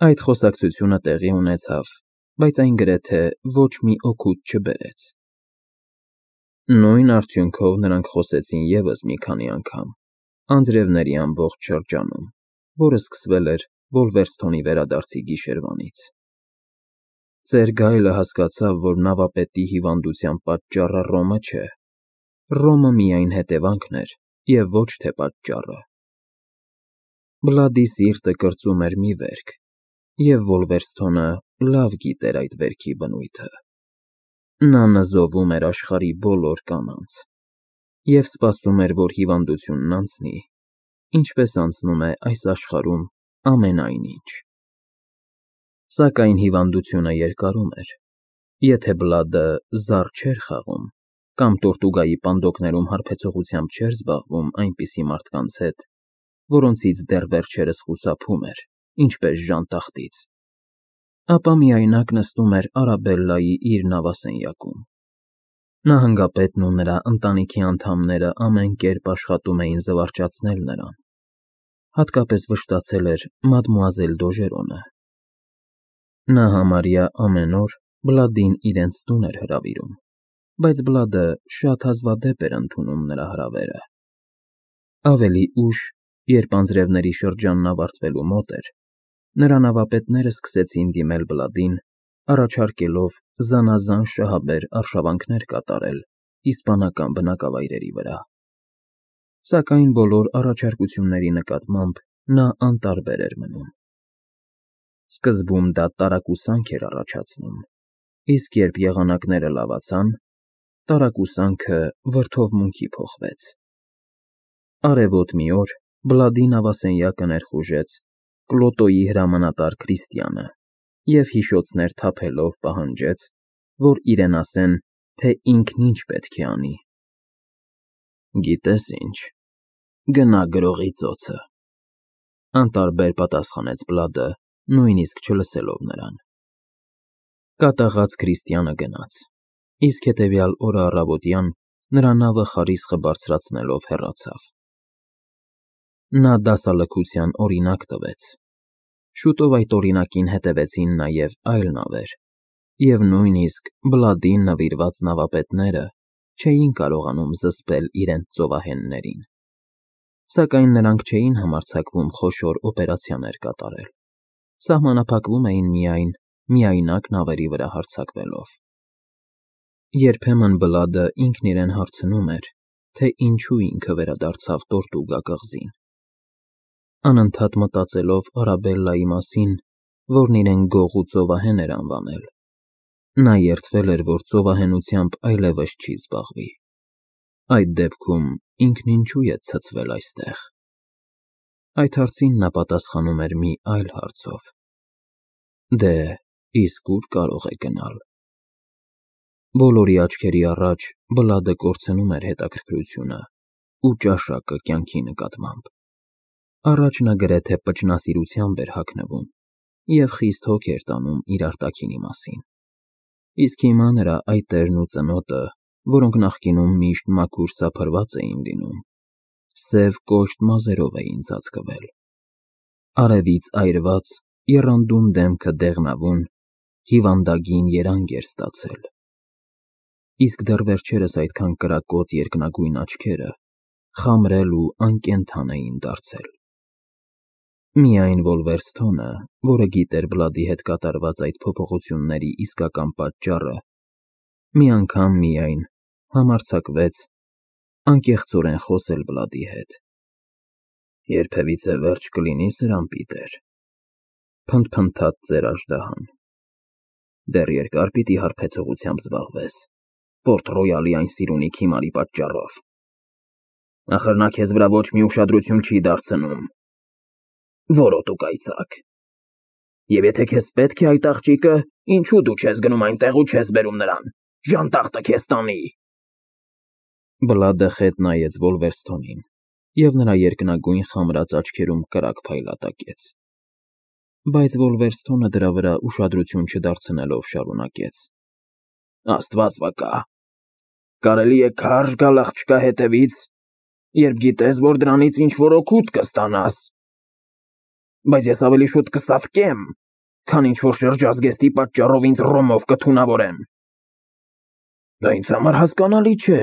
Այդ խոսակցությունը տեղի ունեցավ, բայց այն գրեթե ոչ մի օգուտ չբերեց։ Նույն արդյունքով նրանք խոսեցին ևս մի քանի անգամ, անձրևների ամբողջ շրջանում, որը սկսվել էր Վոլվերսթոնի վերադարձի գիշերվանից։ Ծեր Գայլը հասկացավ, որ նավապետի հիվանդության պատճառը Ռոմը չէ, Ռոմը միայն հետևանքն էր և ոչ թե պատճառը։ Բլադի սիրտը կրծում էր մի վերք, և Վոլվերսթոնը լավ գիտեր այդ վերքի բնույթը։ Նա նզովում էր աշխարհի բոլոր կանանց և սպասում էր, որ հիվանդությունն անցնի, ինչպես անցնում է այս աշխարհում ամենայն ինչ։ Սակայն հիվանդությունը երկարում էր։ Եթե Բլադը զառ չէր խաղում կամ Տորտուգայի պանդոկներում հարբեցողությամբ չէր զբաղվում այնպիսի մարդկանց հետ, որոնցից դեռ վերջերս խուսափում էր, ինչպես ժանտախտից, ապա միայնակ նստում էր Արաբելլայի իր նավասենյակում։ Նահանգապետն ու նրա ընտանիքի անդամները ամեն կերպ աշխատում էին զվարճացնել նրան, հատկապես վշտացել էր մադմուազել Դոժերոնը։ Նա համարյա ամեն օր Բլադին իրենց տուն էր հրավիրում, բայց Բլադը շատ հազվադեպ էր ընդունում նրա հրավերը։ Ավելի ուշ, երբ անձրևների շրջանն ավարտվելու մոտ էր, նրա նավապետները սկսեցին դիմել Բլադին, առաջարկելով զանազան շահաբեր արշավանքներ կատարել իսպանական բնակավայրերի վրա։ Սակայն բոլոր առաջարկությունների նկատմամբ նա անտարբեր էր մնում։ Սկզբում դա տարակուսանք էր առաջացնում, իսկ երբ եղանակները լավացան, տարակուսանքը վրդովմունքի փոխվեց։ Արևոտ մի օր Բլադի նավասենյակը ներխուժեց Կլոտոյի հրամանատար Քրիստիանը և հիշոցներ թափելով պահանջեց, որ իրեն ասեն, թե ինքն ինչ պետք է անի։ «Գիտես ինչ, գնա գրողի ծոցը», անտարբեր պատասխանեց Բլադը, նույնիսկ չլսելով նրան։ Կատաղած Քրիստիանը գնաց, իսկ հետևյալ օրը առավոտյան նրա նավը խարիսխը բարձրացնելով հեռացավ։ Նա դասալքության օրինակ տվեց։ Շուտով այդ օրինակին հետևեցին նաև այլ նավեր, և նույնիսկ Բլադին նվիրված նավապետները չէին կարողանում զսպել իրենց ծովահեններին։ Սակայն նրանք չէին համարձակվում խոշոր օպերացիաներ կատարել, սահմանափակվում էին միայն միայնակ նավերի վրա հարձակվելով։ Երբեմն Բլադը ինքն իրեն հարցնում էր, թե ինչու ինքը վերադարձավ Տորտուգա կղզին։ Անընդհատ մտածելով Արաբելլայի մասին, որն իրեն գող ու ծովահեն էր անվանել, նա երդվել էր, որ ծովահենությամբ այլևս չի զբաղվի։ Այդ դեպքում ինքն ինչու է ցցվել այստեղ։ Այդ հարցին նա պատասխանում էր մի այլ հարցով. «Դե, իսկ ուր կարող է գնալ»։ Բոլորի աչքերի առաջ Բլադը կորցնում էր հետաքրքրությունը ու ճաշակը կյանքի նկատմամբ։ Առաջ նա գրեթե պճնասիրությամբ էր հագնվում և խիստ հոգ էր տանում իր արտաքինի մասին, իսկ հիմա նրա այտերն ու ծնոտը, որոնք նախկինում միշտ մաքուր սափրված էին լինում, սև կոշտ մազերով էին ծածկվել։ Արևից այրված, եռանդուն դեմքը դեղնավուն, հիվանդագին երանգ էր ստացել, իսկ դեռ վերջերս այդքան կրակոտ երկնագույն աչքերը խամրել ու անկենդան էին դարձել։ Միայն Վոլվերսթոնը, որը գիտեր Բլադի հետ կատարված այդ փոփոխությունների իսկական պատճառը, մի անգամ միայն համարձակվեց անկեղծորեն խոսել Բլադի հետ։ «Երբևիցե վերջ կլինի սրան, Պիտեր», փնթփնթաց ծեր աժդահան։ «Դեռ երկար պիտի հարբեցողությամբ զբաղվես Պորտ Ռոյալի այն սիրունիկ հիմարի պատճառով։ Ախր նա քեզ վրա ոչ մի ուշադրություն չի դարձնում։ Որոտ ու կայծակ։ Եվ եթե քեզ պետք է այդ աղջիկը, ինչու դու չես գնում այնտեղ ու չես բերում նրան, ժանտախտը քեզ տանի»։ Բլադը խետ նայեց Վոլվերսթոնին, և նրա երկնագույն խամրած աչքերում կրակ փայլատակեց։ Բայց Վոլվերսթոնը դրա վրա ուշադրություն չդարձնելով շարունակեց. «Աստված վկա, կարելի է քարշ գալ աղջկա հետևից, երբ գիտես, որ դրանից ինչ-որ օգուտ կստանաս, բայց ես ավելի շուտ կսատկեմ, քան ինչ-որ շրջազգեստի պատճառով ինձ Ռոմով կթունավորեն։ Դա ինձ համար հասկանալի չէ։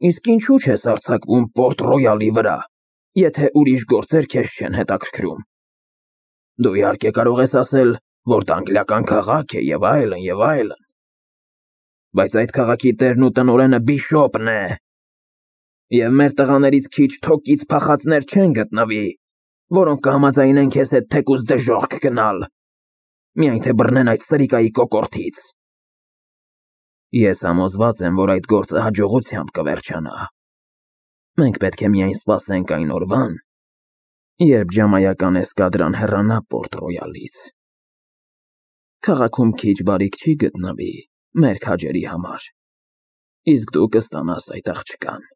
Իսկ ինչու չես արձակվում Պորտ Ռոյալի վրա, եթե ուրիշ գործեր քեզ չեն հետաքրքրում։ Դու իհարկե կարող ես ասել, որ դա անգլիական քաղաք է եւ այլն եւ այլն։ Բայց այդ քաղաքի տերն ու տնօրենը Բիշոպն է։ Եվ մեր տղաներից քիչ թոկից փախածներ չեն գտնվի, որոնք կհամաձայնեն քեզ հետ թեկուզ դժոխք գնալ, միայն թե բռնեն այդ սրիկայի կոկորդից։ Ես համոզված եմ, որ այդ գործը հաջողությամբ կվերջանա։ Մենք պետք է միայն սպասենք այն օրվան, երբ ջամայական էսկադրան հեռանա Պորտ Ռոյալից։ Քաղաքում քիչ բարիք չի գտնվի մեր քաջերի համար, իսկ դու կստանաս այդ աղջկան։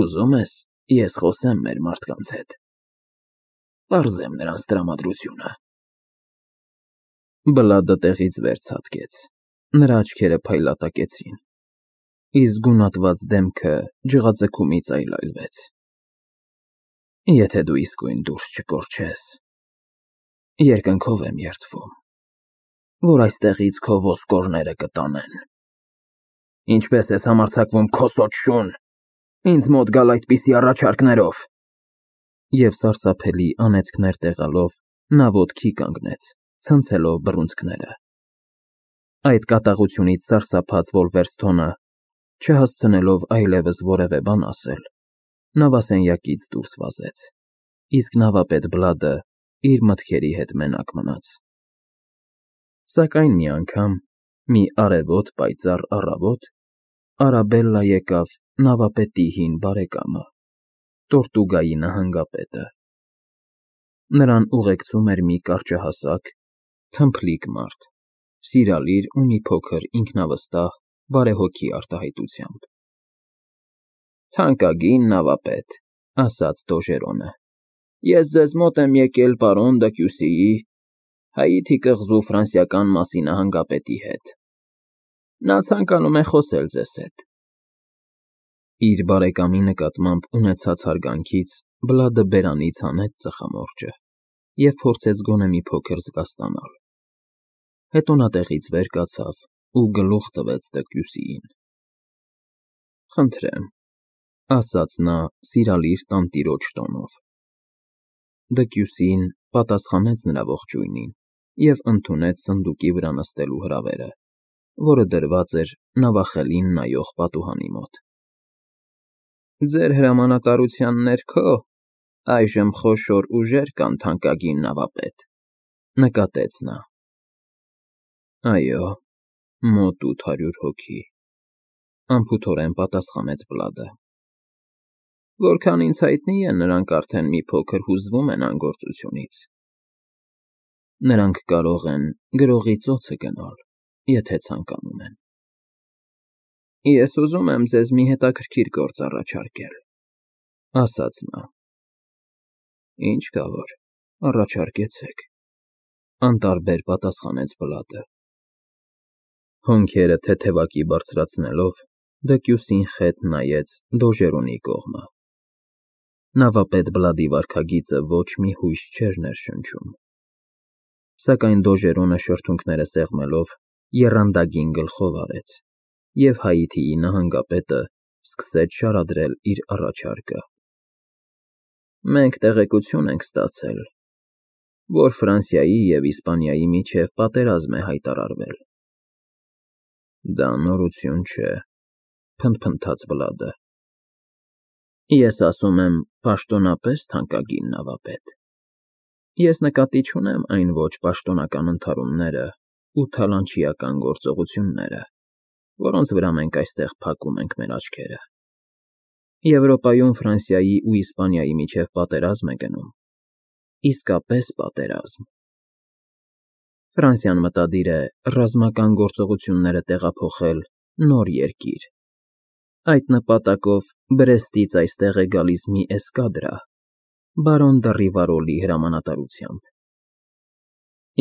Ուզում ես, ես խոսեմ մեր մարդկանց հետ, պարզեմ նրանց տրամադրությունը։ Բլադը տեղից վեր ցատկեց, նրա աչքերը փայլատակեցին, իսկ գունատված դեմքը ջղաձգումից այլայլվեց։ Եթե դու իսկույն դուրս չկորչես, երկնքով եմ երդվում, որ այստեղից քո ոսկորները կտանեն։ Ինչպես ես համարձակվում քո սոճ շուն, ինձ մոտ գալ այդպիսի առաջարկներով։ Եվ սարսափելի անեծքներ տեղալով նա ոտքի կանգնեց, ցնցելով բռունցքները։ Այդ կատաղությունից սարսափած Վոլվերստոնը, չհասցնելով այլևս որևէ բան ասել, նավասենյակից դուրս վազեց, իսկ նավապետ Բլադը իր մտքերի հետ մենակ մնաց։ Սակայն մի անգամ, մի արևոտ պայծառ առավոտ, Արաբելլա եկավ նավապետի հին բարեկամը, Տորտուգայի նահանգապետը։ Նրան ուղեկցում էր մի կարճահասակ, թմփլիկ մարդ, սիրալիր ու մի փոքր ինքնավստահ բարեհոգի արտահայտությամբ։ Թանկագին նավապետ, ասաց Դոժերոնը, ես ձեզ մոտ եմ եկել պարոն Դեկյուսիի, Հայիթի կղզու ֆրանսիական մասի նահանգապետի հետ։ Նա ցանկանում է խոսել ձեզ հետ։ Իր բարեկամի նկատմամբ ունեցած հարգանքից Բլադը բերանից հանեց ծխամորճը և փորձեց գոնե մի փոքր զգաստանալ։ Հետո նա տեղից վեր կացավ ու գլուխ տվեց Դեկյուսիին։ Խնդրեմ, ասաց նա սիրալիր տանտիրոջ տոնով։ Դեկյուսին պատասխանեց նրա ողջույնին և ընդունեց սնդուկի վրա նստելու հրավերը, որը դրված էր նավախելին նայող պատուհանի մոտ։ Ձեր հրամանատարության ներքո այժմ խոշոր ուժեր կան, թանկագին նավապետ, նկատեց նա։ Այո, մոտ 800 հոգի, անփութորեն պատասխանեց Բլադը։ Որքան ինձ հայտնի է, նրանք արդեն մի փոքր հուզվում են անգործությունից։ Նրանք կարող են գրողի ծոցը գնալ, եթե ցանկանում են։ Ես ուզում եմ ձեզ մի հետաքրքիր գործ առաջարկել, ասաց նա։ Ինչ կա որ, առաջարկեցեք, անտարբեր պատասխանեց Բլադը։ Հոնքերը թեթևակի բարձրացնելով, Դեկյուսին խետ նայեց Դոժերոնի կողմը։ Նավապետ Բլադի վարքագիծը ոչ մի հույս չէր ներշնչում։ Սակայն Դոժերոնը շրթունքները սեղմելով եռանդագին գլխով արեց, և Հայիթիի նահանգապետը սկսեց շարադրել իր առաջարկը։ Մենք տեղեկություն ենք ստացել, որ Ֆրանսիայի և Իսպանիայի միջև պատերազմ է հայտարարվել։ Դա նորություն չէ, փնթփնթաց Բլադը։ Ես ասում եմ պաշտոնապես, թանկագին նավապետ։ Ես նկատի չունեմ այն ոչ պաշտոնական ընդհարումները ու թալանչիական գործողությունները, որոնց վրա մենք այստեղ փակում ենք մեր աչքերը։ Եվրոպայում Ֆրանսիայի ու Իսպանիայի միջև պատերազմ է գնում։ Իսկապես պատերազմ։ Ֆրանսիան մտադիր է ռազմական գործողությունները տեղափոխել նոր երկիր։ Այդ նպատակով Բրեստից այստեղ է գալիս մի էսկադրա, բարոն դը Ռիվարոլի հրամանատարությամբ։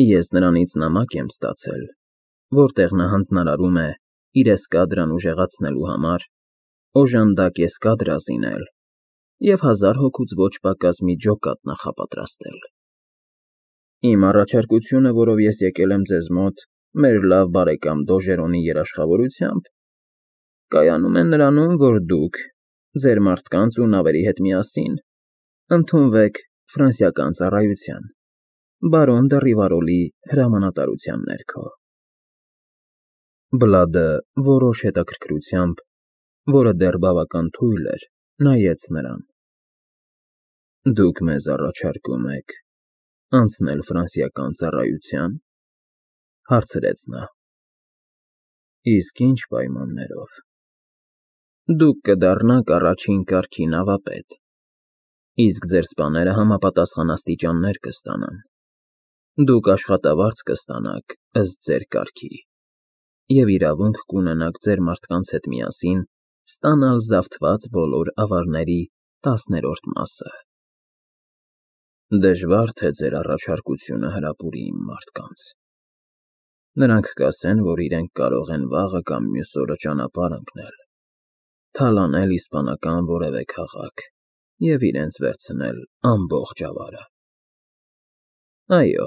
Ես նրանից նամակ եմ ստացել, որտեղ նա հանձնարարում է իր էսկադրան ուժեղացնելու համար օժանդակ էսկադրա զինել և 1000 հոգուց ոչ պակաս մի ջոկատ նախապատրաստել։ Իմ առաջարկությունը, որով ես եկել եմ ձեզ մոտ, մեր լավ բարեկամ Դոժերոնի երաշխավորությամբ, կայանում է նրանում, որ դուք, ձեր մարդկանց ու նավերի հետ միասին, ընդունվեք ֆրանսիական ծառայության, բարոն դը Ռիվարոլի հրամանատարության ներքո։ Բլադը որոշ հետաքրքրությամբ, որը դեռ բավական թույլ էր, նայեց նրան։ Դուք մեզ առաջարկում եք անցնել ֆրանսիական ծառայության, հարցրեց նա։ Իսկ ինչ պայմաններով։ Դուք կդառնաք առաջին կարգի նավապետ, իսկ ձեր սպաները համապատասխան աստիճաններ կստանան։ Դուք աշխատավարձ կստանաք ըստ ձեր կարգի և իրավունք կունենաք ձեր մարդկանց հետ միասին ստանալ զավթված բոլոր ավարների 10-րդ մասը։ Դժվար թե ձեր առաջարկությունը հրապուրի իմ մարդկանց։ Նրանք կասեն, որ իրենք կարող են վաղը կամ մյուս օրը ճանապարհ ընկնել, թալանել իսպանական որևէ քաղաք և իրենց վերցնել ամբողջ ավարը։ Այո,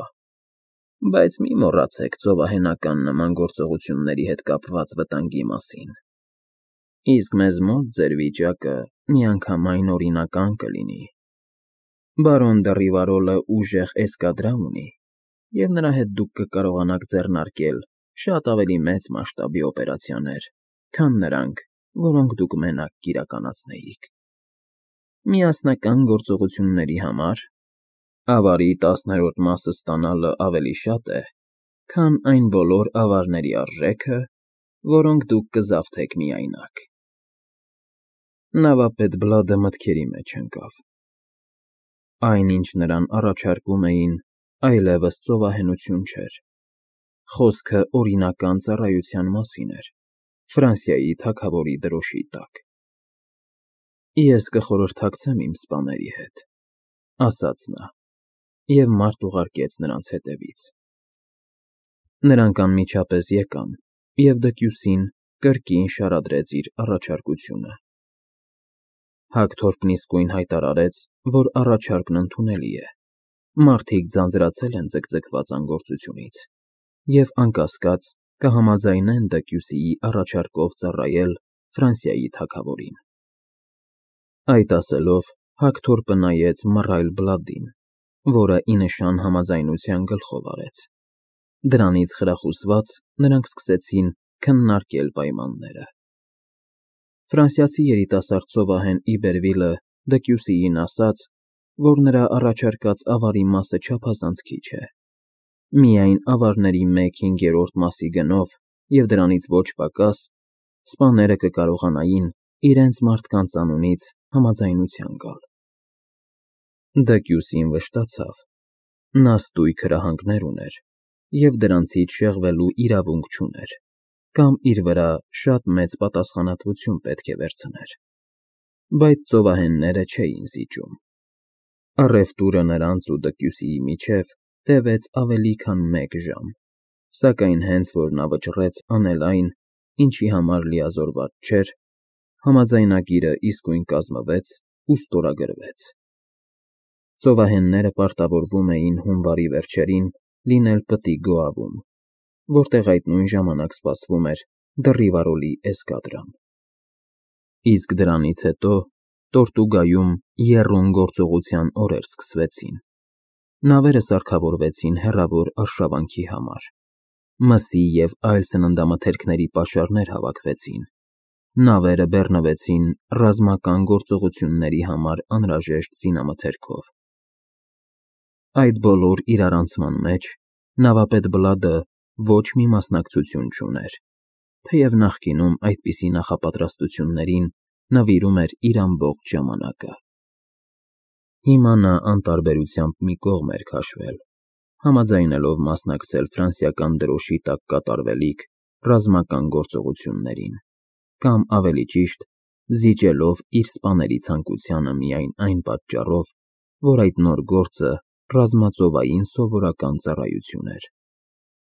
բայց մի մոռացեք ծովահենական նման գործողությունների հետ կապված վտանգի մասին։ Իսկ մեզ մոտ ձեր վիճակը միանգամայն օրինական կլինի։ Բարոն դը Ռիվարոլը ուժեղ էսկադրա ունի, և նրա հետ դուք կկարողանաք ձեռնարկել շատ ավելի մեծ մասշտաբի օպերացիաներ, քան նրանք, որոնք դուք մենակ կիրականացնեիք։ Միասնական գործողությունների համար ավարի 10-րդ մասը ստանալը ավելի շատ է, քան այն բոլոր ավարների արժեքը, որոնք դուք կզավթեք միայնակ։ Նավապետ Բլադը մտքերի մեջ ընկավ։ Այն, ինչ նրան առաջարկում էին, այլևս ծովահենություն չէր։ Խոսքը օրինական ծառայության մասին էր, Ֆրանսիայի թագավորի դրոշի տակ։ Ես կխորհրդակցեմ իմ սպաների հետ, ասաց նա, և մարդ ուղարկեց նրանց հետևից։ Նրանք անմիջապես եկան, և դկյուսին կրկին շարադրեց իր առաջարկությունը։ Հագթորպն իսկույն հայտարարեց, որ առաջարկն ընդունելի է։ Մարդիկ ձանձրացել են ձգձգված անգործությունից և անկասկած կհամաձայնեն դկյուսիի առաջարկով ծառայել Ֆրանսիայի թագավորին։ Այդ ասելով, Հագթորպը նայեց մռայլ Բլադին, որը ի նշան համաձայնության գլխով արեց։ Դրանից խրախուսված նրանք սկսեցին քննարկել պայմանները։ Ֆրանսիացի երիտասարդ ծովահեն Իբերվիլը դկյուսիին ասաց, որ նրա առաջարկած ավարի մասը չափազանց քիչ է։ Միայն ավարների 1/5 մասի գնով և դրանից ոչ պակաս սպաները կկարողանային իրենց մարդկանց անունից համաձայնության գալ։ Դկյուսին վշտացավ։ Նա ստույգ հրահանգներ ուներ և դրանցից շեղվելու իրավունք չուներ, կամ իր վրա շատ մեծ պատասխանատվություն պետք է վերցներ։ Բայց ծովահենները չէին զիջում։ Առևտուրը նրանց ու դկյուսիի միջև տևեց ավելի քան 1 ժամ, սակայն հենց որ նա վճռեց անել այն, ինչի համար լիազորված չէր, համաձայնագիրը իսկույն կազմվեց ու ստորագրվեց։ Ծովահենները պարտավորվում էին հունվարի վերջերին լինել պտի Գոավում, որտեղ այդ նույն ժամանակ սպասվում էր դը Ռիվարոլի էսկադրան։ Իսկ դրանից հետո Տորտուգայում եռուն գործողության օրեր սկսվեցին։ Նավերը սարքավորվեցին հեռավոր արշավանքի համար։ Մսի և այլ սննդամթերքների պաշարներ հավաքվեցին։ Նավերը բեռնվեցին ռազմական գործողությունների համար անհրաժեշտ զինամթերքով։ Այդ բոլոր իրարանցման մեջ նավապետ Բլադը ոչ մի մասնակցություն չուներ, թեև նախկինում այդպիսի նախապատրաստություններին նվիրում էր իր ամբողջ ժամանակը։ Հիմա նա անտարբերությամբ մի կողմ էր քաշվել, համաձայնելով մասնակցել ֆրանսիական դրոշի տակ կատարվելիք ռազմական գործողություններին, կամ ավելի ճիշտ, զիջելով իր սպաների ցանկությանը միայն այն պատճառով, որ այդ նոր գործը ռազմածովային սովորական ծառայություն էր,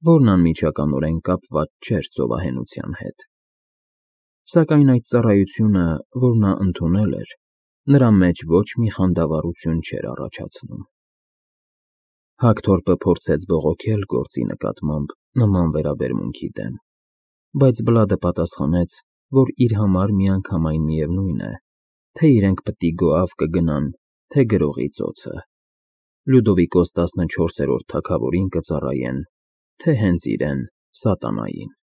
որն անմիջականորեն կապված չէր ծովահենության հետ։ Սակայն այդ ծառայությունը, որ նա ընդունել էր, նրա մեջ ոչ մի խանդավառություն չէր առաջացնում։ Հակթորպը փորձեց բողոքել գործի նկատմամբ նման վերաբերմունքի դեմ, բայց Բլադը պատասխանեց, որ իր համար միանգամայն միևնույն է, թե իրենք պտի գոհավ կգնան, թե գրողի ծոցը, Լյուդովիկոս 14-րդ թագավորին կծառայեն, թե հենց իրեն՝ սատանային։